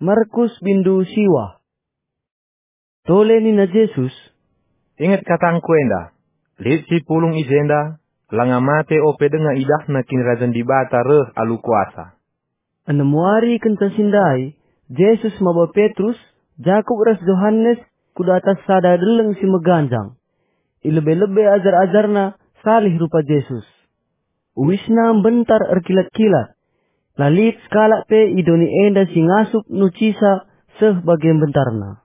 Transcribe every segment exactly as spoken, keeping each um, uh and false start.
Markus bindu siwah. Tole nina Jesus, "Inget katangKu enda, lit si pulung i jenda, langa mate ope denga idahna Kinirajan Dibata reh alu kuasa." Enem wari kenca si ndai, Jesus maba Petrus, Jakup ras Johanes ku datas sada deleng si meganjang. I lebe-lebe ajar-ajarNa salih rupa Jesus. Uisna mbentar erkilat-kilat. La lit sekalak pe i doni enda si ngasup nucisa seh bage mbentarna.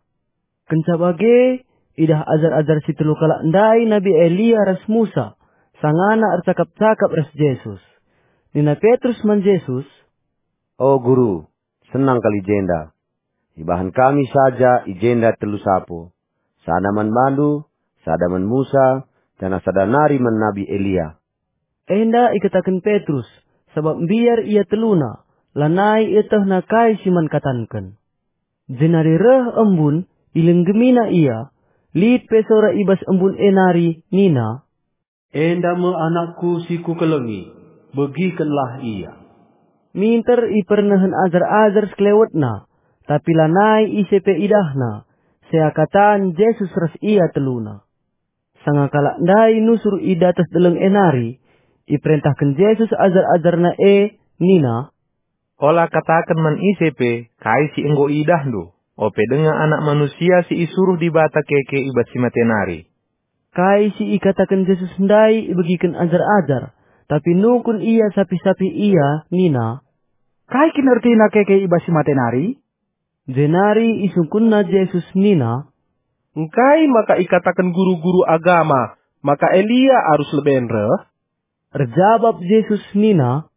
Kenca bage, idah ajar-ajar si telu kalak ndai Nabi Elia ras Musa, sangana ercakap-cakap ras Jesus. Nina Petrus man Jesus, "O Guru, senang kal i jenda. Ibahan kami saja i jenda telu sapo, sada man bandu, sada man Musa, janah sada nari man Nabi Elia." Enda ikataken Petrus, sabap mbiar ia teluna, lanai ietehna kai si man katanken. Jenari reh embun, ilenggemina ia, lit pe sora i bas embun e nari nina, "Enda me anakku si kukelengi, begikenlah ia." Minter ipernehen ajar-ajar sekelewetna, tapi lanai ise pe idahna, seakatan Jesus ras ia teluna. Sanga kalak ndai nusur i datas deleng e nari, iperentahken Jesus ajar-ajarNa e nina, "Ola kataken man ise pe kai si enggo iidahndu, ope denga Anak Manusia si isuruh Dibata keke i bas si mate nari." Kai si ikataken Jesus ndai ibegiken ajar-ajar, tapi nungkun ia sapih-sapih ia nina, "Kai kin ertina keke i bas si mate nari?" Jenari isungkunna Jesus nina, "Engkai maka ikataken guru-guru agama maka Elia arus leben reh?" Erjabap Jesus nina,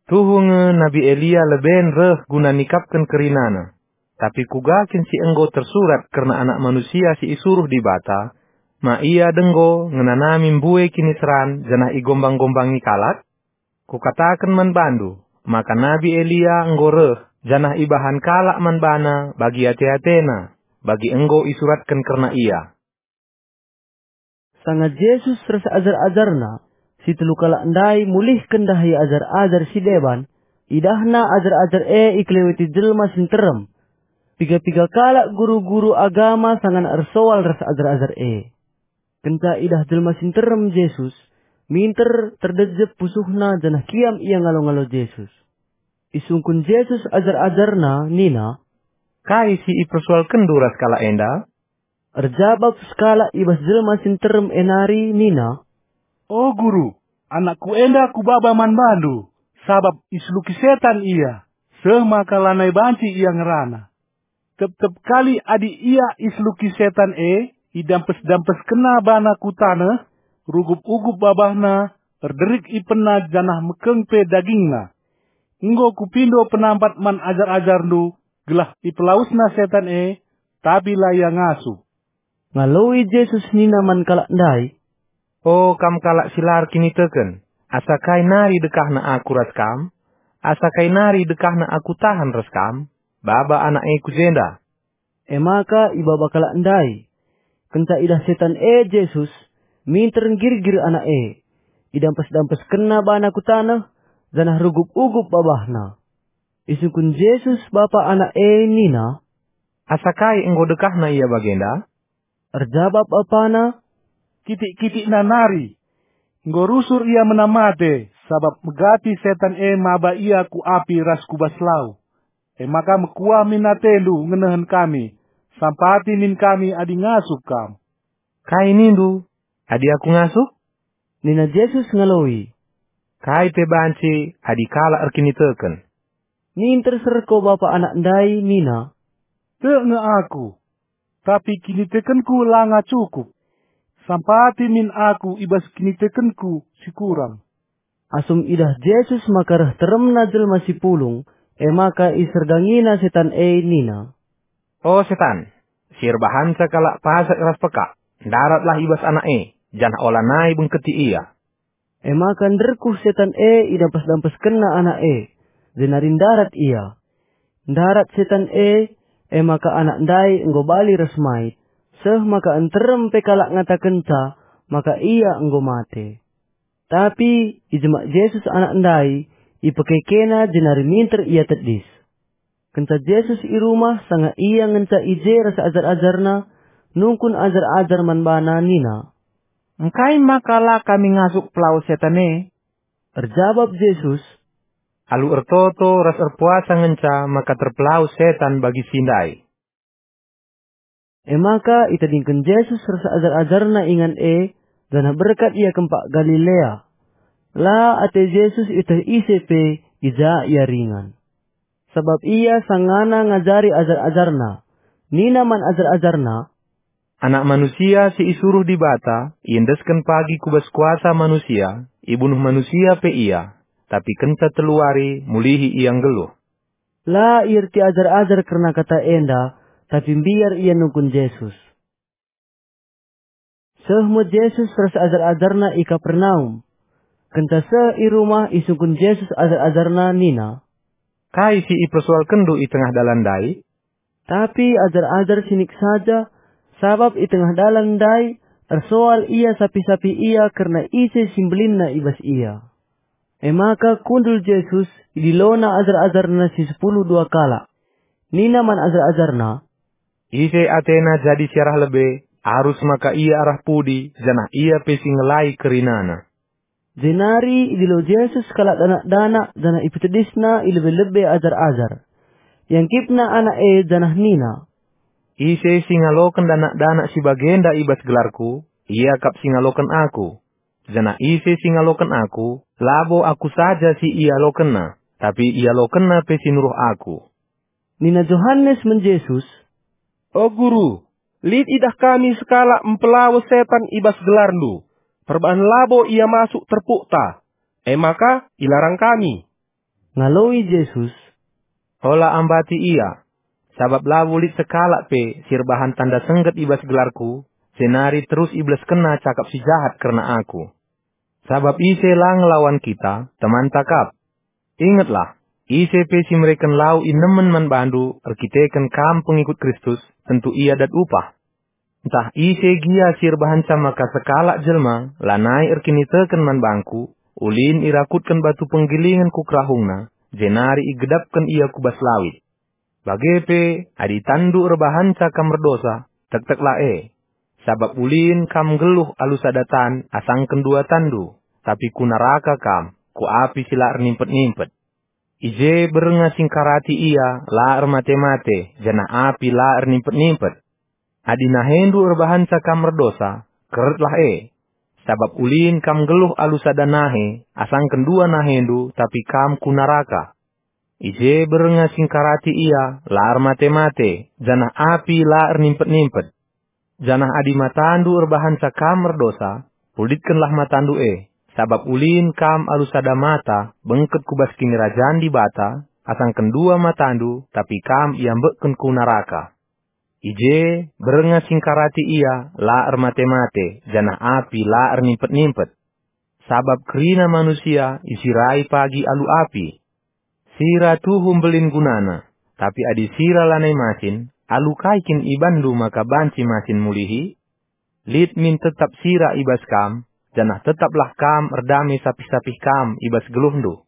"Tuhu nge Nabi Elia leben reh guna nikapken kerinana. Tapi kuga kin si enggo tersurat kerna Anak Manusia si isuruh Dibata, ma ia denggo ngenanami mbue kiniseran janah igombang-gombangi kalak? Kukataken man bandu, maka Nabi Elia enggo reh, janah ibahan kalak man bana bagi ate-atena, bagi enggo isuratken kerna ia." Sanga Jesus ras ajar-ajarNa, si telu kalak ndai mulihken ndahi ajar-ajar si deban, idahna ajar-ajar e ikeleweti jelma si nterem. Piga-piga kalak guru-guru agama sangana ersoal ras ajar-ajar e. Kenca idah jelma si nterem Jesus, minter terdejep pusuhna janah kiam ia ngalo-ngalo Jesus. Isungkun Jesus ajar-ajarNa nina, "Kai si ipersoalkenndu ras kalak enda?" Erjabap sekalak i bas jelma si nterem e nari nina, "O Guru, anakku enda kubaba man bandu, sabap iseluki setan ia, seh maka lanai banci ia ngerana. Tep-tep kali adi ia iseluki setan e, idampes-dampeskenna bana ku taneh, rugup-ugup babahna, erderik ipenna janah mekeng pe dagingna. Enggo kupindo penampat man ajar-ajarndu, gelah ipelawesna setan e, tapi la ia ngasup." Ngaloi Jesus nina man kalak ndai, "O kam kalak si la erkiniteken, asa kai nari dekahna Aku ras kam? Asa kai nari dekahna Aku tahan ras kam? Baba anak e ku jenda." E maka ibaba kalak ndai. Kenca idah setan e Jesus, minter nggirgir anak e. Idampes-dampeskenna bana ku taneh, janah rugup-ugup babahna. Isungkun Jesus bapa anak e nina, "Asa kai enggo dekahna ia bagenda?" Erjabap bapana, "Kitik-kitikna nari. Enggo rusur ia menam mate, sabap megati setan e maba ia ku api ras ku bas lau. E maka mekuah min atendu ngenehen kami, sampati min kami adi ngasup kam." "Kai nindu, adi Aku ngasup?" nina Jesus ngaloi. "Kai pe banci adi kalak erkiniteken." Ninter serko bapa anak ndai nina, "Tek nge aku, tapi kinitekenku langa cukup. Sampati min aku i bas kinitekenku si kurang." Asum idah Jesus maka reh teremna jelma si pulung, e maka isergangina setan e nina, "O setan, si erbahanca kalak pasek ras pekak, ndaratlah i bas anak e, janah olanai bengketi ia." E maka nderkuh setan e idampes-dampeskenna anak e, jenari ndarat ia. Ndarat setan e, e maka anak ndai enggo bali ras mait, seh maka nterem pe kalak ngatakenca maka ia enggo mate. Tapi ijemak Jesus anak ndai, ipekekena jenari minter ia tedis. Kenca Jesus i rumah, sanga IA ngenca i je ras ajar-ajarNa, nungkun ajar-ajar man baNa nina, "Engkai maka la kami ngasup pelawes setan e?" Erjabap Jesus, "Alu ertoto ras erpuasa ngenca maka terpelawes setan bagi si ndai." E maka itadingken Jesus ras ajar-ajarNa ingan e, janah berkat ia kempak Galilea. La ate Jesus ieteh ise pe i ja ia ringan. Sabap ia sangana ngajari ajar-ajarNa. Nina man ajar-ajarNa, "Anak Manusia si isuruh Dibata iendesken pagi ku bas kuasa manusia, ibunuh manusia pe ia, tapi kenca telu wari mulihi ia nggeluh." La ierti ajar-ajar kerna kata enda, tapi mbiar ia nungkun Jesus. Seh me Jesus ras ajar-ajarNa i Kapernaum. Kenca seh i rumah, isungkun Jesus ajar-ajarNa nina, "Kai si ipersoalkenndu i tengah dalan ndai?" Tapi ajar-ajar sinik saja, sabap i tengah dalan ndai ersoal ia sapih-sapih ia kerna ise si mbelinna i bas ia. E maka kundul Jesus, idilona ajar-ajarNa si sepuluh dua kalak. Nina man ajar-ajarNa, "Ise atena jadi si arah lebe, arus maka ia arah pudi, janah ia pe si ngelai kerinana." Jenari idilo Jesus kalak danak-danak janah ipetedisna i lebe-lebe ajar-ajar. Iangkipna anak e janah nina, "Ise si ngaloken danak-danak si bagenda i bas gelarKu, ia kap si ngaloken Aku. Janah ise si ngaloken Aku, labo Aku saja si ialokenna, tapi ialokenna pe si nuruh Aku." Nina Johanes man Jesus, "O Guru, lit idah kami sekalak mpelawes setan i bas gelarNdu, perbahan labo ia masuk terpukta. E maka ilarang kami." Ngaloi Jesus, "Ola ambati ia, sabap labo lit sekalak pe si erbahan tanda sengget i bas gelarKu, jenari terus ibeleskenna cakap si jahat kerna Aku. Sabap ise la ngelawan kita, temanta kap. Ingetlah, ise pe si mereken lau inemen man bandu erkiteken kam pengikut Kristus, tentu ia dat upah. Ntah ise gia si erbahanca maka sekalak jelma lanai erkiniteken man bangKu, ulin irakutken batu penggilingen ku kerahungna, jenari igedapken ia ku bas lawit. Bage pe, adi tanndu erbahanca kam erdosa, tekteklah e. Sabap ulin kam nggeluh alu sada tan asangken dua tanndu, tapi ku naraka kam, ku api si la ernimpet-nimpet. I je bernga singkarati ia la ermate-mate, janah api la ernimpet-nimpet. Adi nahendu erbahanca kam erdosa, keretlah e. Sabap ulin kam nggeluh alu sada nahe, asangken dua nahendu, tapi kam ku naraka. I je bernga singkarati ia la ermate-mate, janah api la ernimpet-nimpet. Janah adi matandu erbahanca kam erdosa, pulitkenlah matandu e, sabap ulin kam alu sada mata bengket ku bas Kinirajan Dibata, asangken dua matandu, tapi kam iambekken ku naraka. I je bernga singkarati ia la ermate-mate, janah api la ernimpet-nimpet. Sabap kerina manusia isirai pagi alu api. Sira tuhu mbelin gunana, tapi adi sira lanai masin, alu kai kin ibanndu maka banci masin mulihi? Lit min tetap sira i bas kam, janah tetaplah kam erdame sapih-sapih kam i bas geluhndu.